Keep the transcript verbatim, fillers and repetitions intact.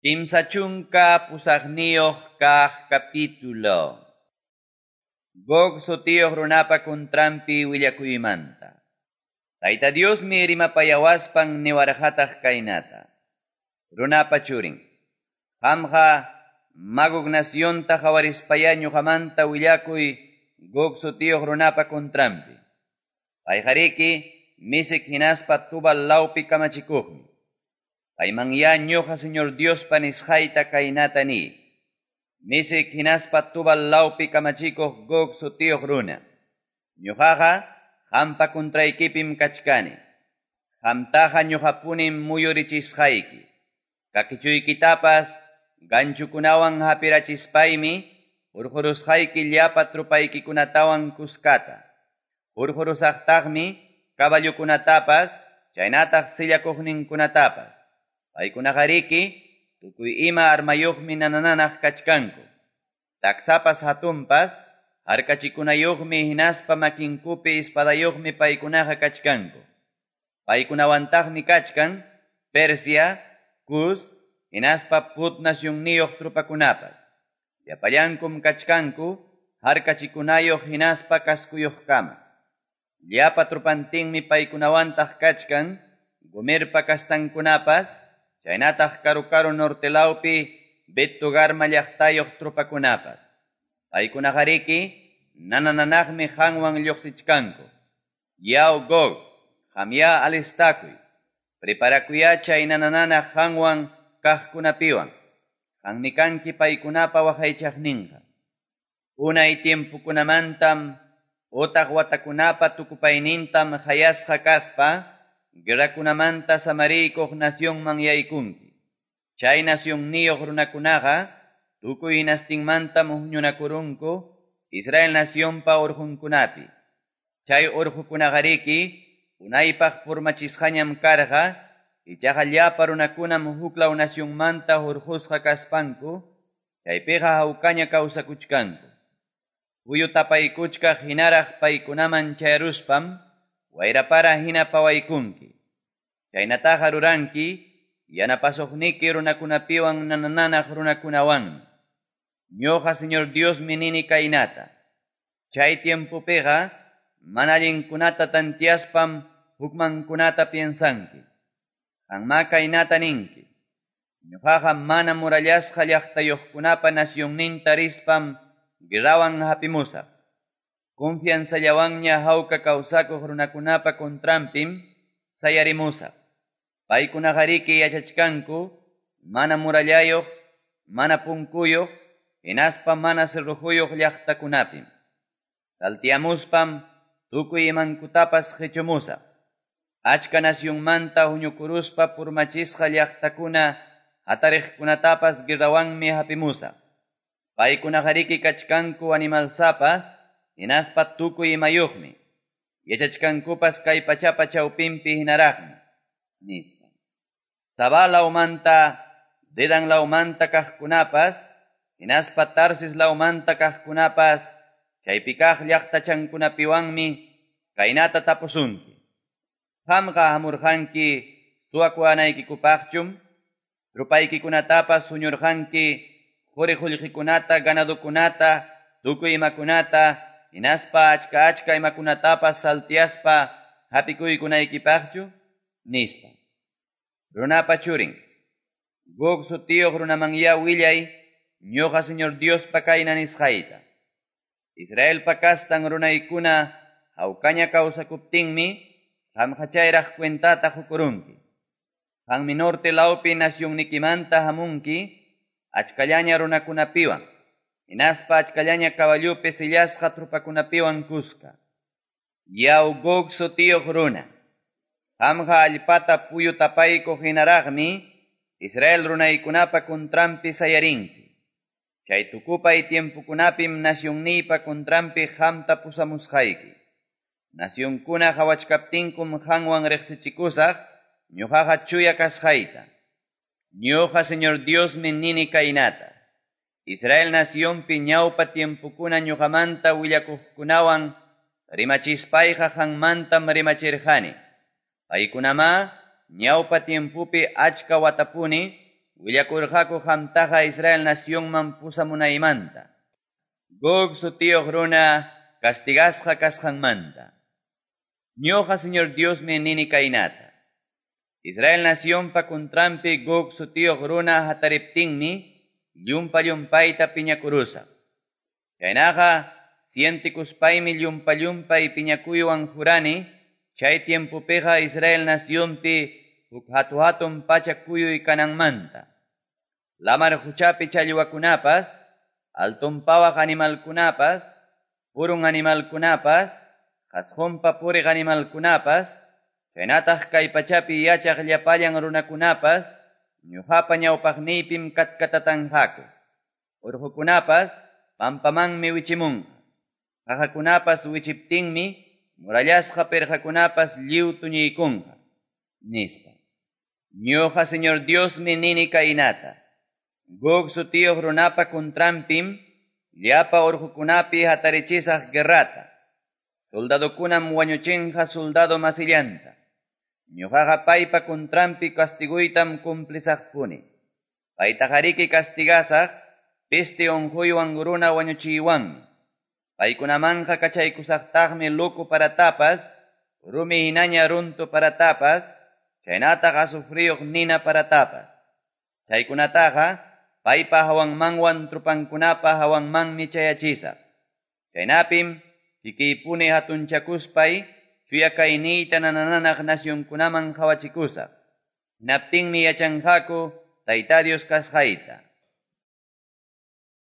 Kimsa chunka pusaqniyuq kaq capítulo. Gog sutiyuq runapa contranpi willakuymanta. Tayta Diosmi rimapayawaspan niwarqataq kaynata. Runapa churin. Qamqa Magog nacionta qawarispayá ñuqamanta willakuy Gog sutiyuq runapa contranpi. Payqariki Mesec hinaspa Tubal lawpi kamachikuqmi. Paymanyá ñuqa Señor Diospa nisqayta kaynata niy. Mesec hinaspa Tubal lawpi kamachikuq Gog sutiyuq runa. Ñuqaqa qampa contraykipim kachkani. Qamtaqa ñuqapunim muyurichisqayki. Kakichuykitapas ganchukunawan hapirachispaymi hurqurusqayki llapa tropaykikunatawan kuskata. Hurqurusaqtaqmi caballokunatapas chaynataq sillakuqninkunatapas. Paykunaqariki tukuy ima armayuqmi nanananaq kachkanku. Taksapas hatunpas harkachikunayuqmi hinaspa makinkupi espadayuqmi paykunaqa kachkanku. Paykunawantaqmi kachkan Persia, Cus, hinaspa Put nacionniyuq tropakunapas. Llapallankum kachkanku harkachikunayuq hinaspa kaskuyuqkama. Llapa tropantinmi paykunawantaq kachkan Gomerpa kastankunapas, chaynataq karu-karu norte lawpi Bet-togarma llaqtayuq tropakunapas. Paykunaqariki nanananaqmi qanwan lluqsichkanku. Yaw Gog, qamyá alistakuy. Preparakuyá chay nanananaq qanwan kaqkunapiwan. Qanmi kanki paykunapa waqaychaqninqa. Unay tiempokunamantam utaq watakunapa tukupaynintam hayasqa kaspa guerrakunamanta samariykuq nacionman yaykunki. Chay nacionniyuq runakunaqa tukuy hinastinmantam huñunakurunku Israel nacionpa urqunkunapi. Chay urqukunaqariki unaypaq purmachisqañam karqa, ichaqa llapa runakunam huklaw nacionmanta hurqusqa kaspanku, chaypiqa hawkaña kawsakuchkanku. Puyu tapaykuchkaq hinaraq paykunaman chayaruspam, wayrapara hina pawaykunki. Chaynataqa ruranki, yanapasuqniki runakunapiwan nanananaq runakunawanmi. Ñuqa Señor Diosmi nini kaynata. Chay tiempopiqa mana allinkunata tantiaspam hukmankunata piensanki. Qanmá kaynata ninki. Ñuqaqa mana murallasqa llaqtayuqkunapa nacionninta rispam guerrawan hapimusaq. Confianzallawanña hawka kawsakuq runakunapa contranpim sayarimusaq. Paykunaqariki yachachkanku mana murallayuq, mana punkuyuq, hinaspa mana cerrojuyuq llaqtakunapim. Saltiamuspam tukuy imankutapas qichumusaq. Achka nacionmanta huñukuruspa purmachisqa llaqtakuna hatariqkunatapas guerrawanmi hapimusaq. Paykunaqariki kachkanku animalsapa, hinaspa tukuy imayuqmi. Yachachkankupas kay pachapa chawpinpi hinaraqmi, nispa. Sabá lawmanta, Dedan lawmanta kaqkunapas, hinaspa Tarsis lawmanta kaqkunapas, chaypi kaq llaqtachankunapiwanmi kaynata tapusunki. Qamqa hamurqanki suwakuwanaykikupaqchum, tropaykikunatapas huñurqanki quri qullqikunata, ganadukunata, tukuy imakunata, hinaspa achka achka imakunatapas saltiaspa hapikuykunaykipaqchu, nispa. Runapa churin, Gog sutiyuq runamanyá willay, ñuqa Señor Diospa kayna nisqayta. Israelpa kastan runaykuna hawkaña kawsakuptinmi, qamqa chayraq cuentata qukurunki. Qanmi norte lawpi nacionnikimanta hamunki, achkallaña runakunapiwan, hinaspa achkallaña caballopi sillasqa tropakunapiwan kuska. Yaw Gog sutiyuq runa, qamqa allpata puyu tapaykuq hinaraqmi, Israel runaykunapa contranpi sayarinki. Chay tukupay tiempokunapim nacionniypa contranpi qamta pusamusqayki. Nacionkuna qawachkaptinkum qanwan riqsichikusaq, ñuqaqa chuya kasqayta. Ñuqa Señor Diosmi nini kaynata. Israel nacionpi ñawpa tiempokuna ñuqamanta willakuqkunawan rimachispayqa qanmantam rimachirqani. Paykunamá ñawpa tiempopi achka watapuni willakurqaku qamtaqa Israel nacionman pusamunaymanta. Gog sutiyuq runa castigasqa kasqanmanta. Ñuqa Señor Diosmi nini kaynata. Israel nacionpa contranpi Gog sutiyuq runa hatariptinmi llumpa-llumpayta piñakurusaq. Chaynaqa sientikuspaymi llumpa-llumpay piñakuywan jurani chay tiempopiqa Israel nacionpi huk hatu-hatun pacha kuyuy kananmanta. Lamar huchapi challwakunapas, alton pawaq animalkunapas, purun animalkunapas, qasqunpa puriq animalkunapas, chaynataq kay pachapi yachaq llapallan runakunapas, ñuqapa ñawpaqniypim katkatatanqaku. Urqukunapas pampamanmi wichimunqa. Qaqakunapas wichiptinmi murallasqa pirqakunapas lliw tuñiykunqa, nispa. Ñuqa Señor Diosmi nini kaynata. Gog sutiyuq runapa contranpim llapa urqukunapi hatarichisaq guerrata. Soldadokunam wañuchinqa soldado masillanta. Ñuqaqa paypa contranpi castiguytam cumplisaqpuni. Paytaqariki castigasaq peste unquywan runa wañuchiywanmi. Paykunamanqa kachaykusaqtaqmi loco paratapas, rumi hinaña runtu paratapas, chaynataq azufriyuq nina paratapas. Chaykunataqa paypa hawanmanwan trupankunapa hawanmanmi chayachisaq. Chaynapim kikiypuni hatunchakuspay chuya kayniyta nanananaq nacionkunaman qawachikusaq. Hinaptinmi yachanqaku Tayta Dios kasqayta.